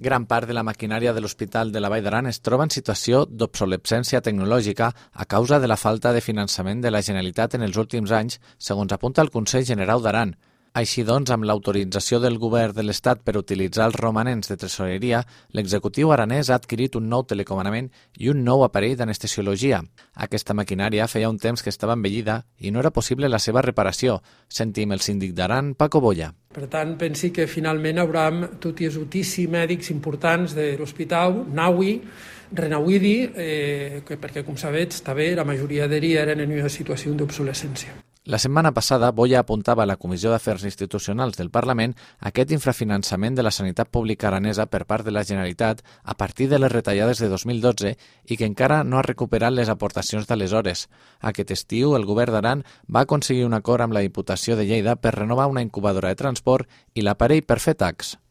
Gran part de la maquinària de l'Hospital de la Vall d'Aran es troba en situació d'obsolescència tecnològica a causa de la falta de finançament de la Generalitat en els últims anys, segons apunta el Consell Generau d'Aran. Així doncs, amb l'autorització del Govern de l'Estat per utilitzar els romanents de tresoreria, l'executiu aranès ha adquirit un nou telecomandament i un nou aparell d'anestesiologia. Aquesta maquinària feia un temps que estava envellida i no era possible la seva reparació. Sentim el síndic d'Aran, Paco Boya. Per tant, pensi que finalment haurem tot i judici mèdics importants de l'hospital, Naui, Renauidi, perquè, com sabeu, també la majoria d'ells eren en una situació d'obsolescència. La setmana passada, Boya apuntava a la Comissió d'Afers Institucionals del Parlament aquest infrafinançament de la sanitat pública aranesa per part de la Generalitat a partir de les retallades de 2012 i que encara no ha recuperat les aportacions d'aleshores. Aquest estiu, el Govern d'Aran va aconseguir un acord amb la Diputació de Lleida per renovar una incubadora de transport i l'aparell per fer tacs.